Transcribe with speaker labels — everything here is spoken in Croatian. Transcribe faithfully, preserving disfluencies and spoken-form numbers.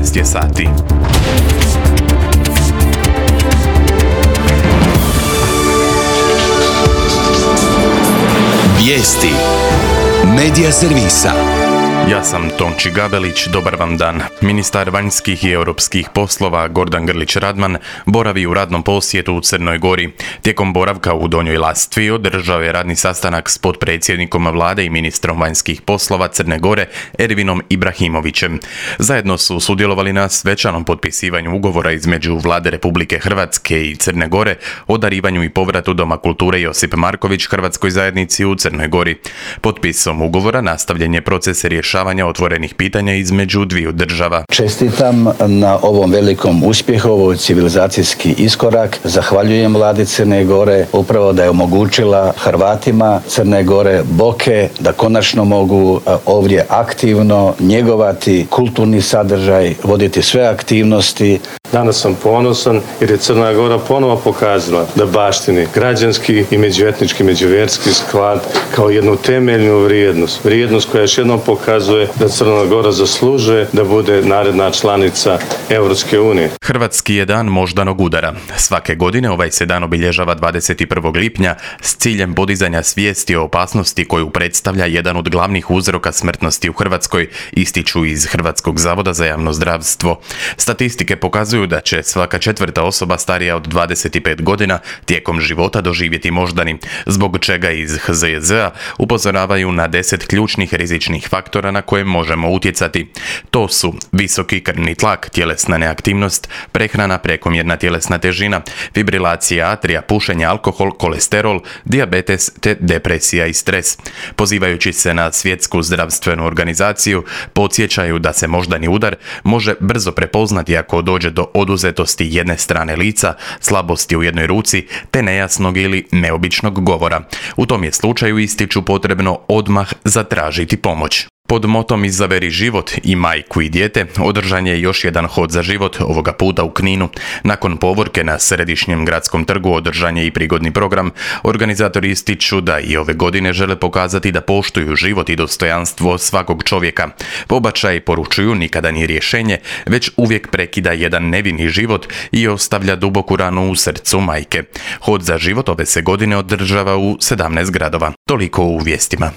Speaker 1: četrnaest je sati.
Speaker 2: Vijesti Medija servisa.
Speaker 1: Ja sam Tonči Gabelić, dobar vam dan. Ministar vanjskih i europskih poslova Gordan Grlić Radman boravi u radnom posjetu u Crnoj Gori. Tijekom boravka u Donjoj Lastvi održao je radni sastanak s potpredsjednikom vlade i ministrom vanjskih poslova Crne Gore Ervinom Ibrahimovićem. Zajedno su sudjelovali na svečanom potpisivanju ugovora između Vlade Republike Hrvatske i Crne Gore o darivanju i povratu Doma kulture Josip Marković Hrvatskoj zajednici u Crnoj Gori. Potpisom ugovora nastavljen je proces rješavanja otvorenih pitanja između dviju država.
Speaker 3: Čestitam na ovom velikom uspjehu, ovo civilizacijski iskorak. Zahvaljujem vladi Crne Gore upravo da je omogućila Hrvatima Crne Gore, Boke, da konačno mogu ovdje aktivno njegovati kulturni sadržaj, voditi sve aktivnosti.
Speaker 4: Danas sam ponosan jer je Crna Gora ponovo pokazala da baštini građanski i međuetnički, međuvjerski sklad kao jednu temeljnu vrijednost. Vrijednost koja još jednom pokazuje da Crna Gora zaslužuje da bude naredna članica Europske unije.
Speaker 1: Hrvatski je dan moždanog udara. Svake godine ovaj se dan obilježava dvadeset prvog lipnja s ciljem podizanja svijesti o opasnosti koju predstavlja jedan od glavnih uzroka smrtnosti u Hrvatskoj, ističu iz Hrvatskog zavoda za javno zdravstvo. Statistike pokazuju da će svaka četvrta osoba starija od dvadeset pet godina tijekom života doživjeti moždani, zbog čega iz H Z J Z-a upozoravaju na deset ključnih rizičnih faktora na koje možemo utjecati. To su visoki krvni tlak, tjelesna neaktivnost, prehrana, prekomjerna tjelesna težina, fibrilacija atrija, pušenje, alkohol, kolesterol, dijabetes te depresija i stres. Pozivajući se na Svjetsku zdravstvenu organizaciju, podsjećaju da se moždani udar može brzo prepoznati ako dođe do oduzetosti jedne strane lica, slabosti u jednoj ruci te nejasnog ili neobičnog govora. U tom je slučaju, ističu, potrebno odmah zatražiti pomoć. Pod motom Izaberi život i majku i dijete održan je još jedan hod za život, ovoga puta u Kninu. Nakon povorke na središnjem gradskom trgu održan je i prigodni program. Organizatori ističu da i ove godine žele pokazati da poštuju život i dostojanstvo svakog čovjeka. Pobačaj, poručuju, nikada nije rješenje, već uvijek prekida jedan nevini život i ostavlja duboku ranu u srcu majke. Hod za život ove se godine održava u sedamnaest gradova. Toliko u vijestima.